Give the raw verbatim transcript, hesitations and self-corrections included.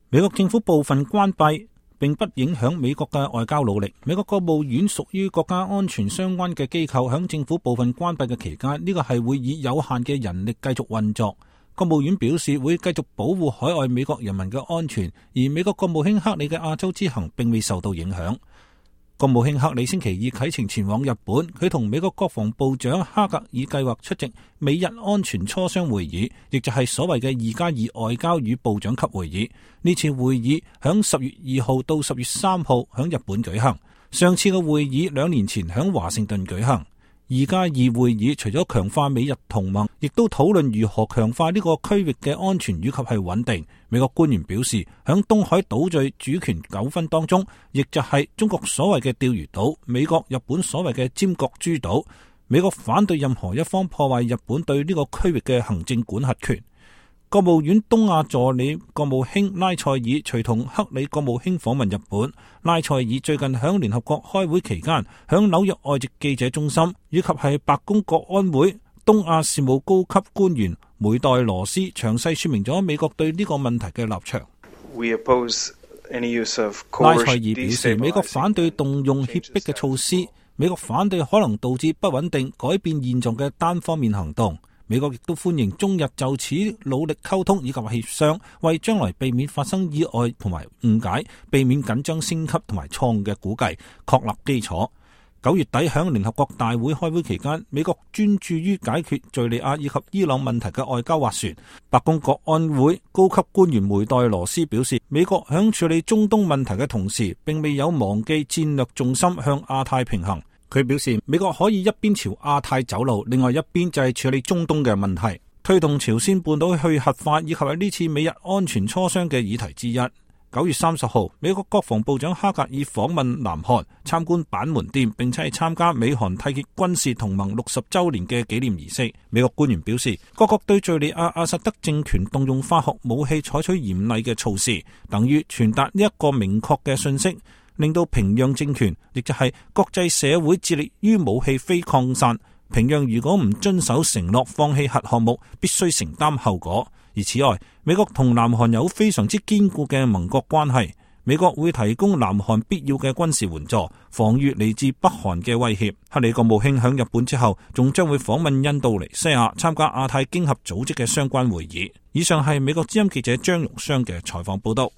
美國政府部分關閉並不影響美國嘅外交努力。美國國務院屬於國家安全相關嘅機構，響政府部分關閉嘅期間，呢個係會以有限嘅人力繼續運作。國務院表示會繼續保護海外美國人民嘅安全，而美國國務卿克里嘅亞洲之行並未受到影響。國務卿克里星期二啟程前往日本，佢同美國國防部長哈格爾計劃出席美日安全磋商會議，亦就係所謂嘅二加二外交與部長級會議。呢次會議響十月二號到十月三號響日本舉行，上次嘅會議兩年前響華盛頓舉行。二加二會議除咗強化美日同盟，亦都討論如何強化呢個區域嘅安全以及係穩定。美國官員表示，響東海島嶼主權糾紛當中，亦就係中國所謂嘅釣魚島，美國、日本所謂嘅尖閣諸島，美國反對任何一方破壞日本對呢個區域嘅行政管轄權。國務院東亞助理國務卿拉塞爾隨同克里國務卿訪問日本。拉塞爾最近響聯合國開會期間，響紐約外籍記者中心以及係白宮國安會東亞事務高級官員梅代羅斯詳細說明咗美國對呢個問題嘅立場。拉塞爾表示，美國反對動用脅迫嘅措施，美國反對可能導致不穩定、改變現狀嘅單方面行動。美國亦都歡迎中日就此努力溝通以及協商，為將來避免發生意外同埋誤解，避免緊張升級同埋錯誤嘅估計，確立基礎。九月底響聯合國大會開會期間，美國專注於解決敘利亞以及伊朗問題嘅外交斡旋。白宮國安會高級官員梅代羅斯表示，美國響處理中東問題嘅同時，並未有忘記戰略重心向亞太平衡。佢表示，美國可以一邊朝亞太走路，另外一邊就係處理中東嘅問題，推動朝鮮半島去核化，以及係呢次美日安全磋商嘅議題之一。九月三十號，美國國防部長哈格爾訪問南韓，參觀板門店，並且係參加美韓締結軍事同盟六十周年嘅紀念儀式。美國官員表示，各國對敘利亞阿薩德政權動用化學武器採取嚴厲嘅措施，等於傳達呢一個明確嘅信息，令到平壤政權，亦就係國際社會致力於武器非擴散。平壤如果唔遵守承諾，放棄核項目，必須承擔後果。而此外，美國同南韓有非常之堅固嘅盟國關係，美國會提供南韓必要嘅軍事援助，防禦嚟自北韓嘅威脅。克里國務卿響日本之後，仲將會訪問印度尼西亞，參加亞太經合組織嘅相關會議。以上係美國之音記者張榮湘嘅採訪報道。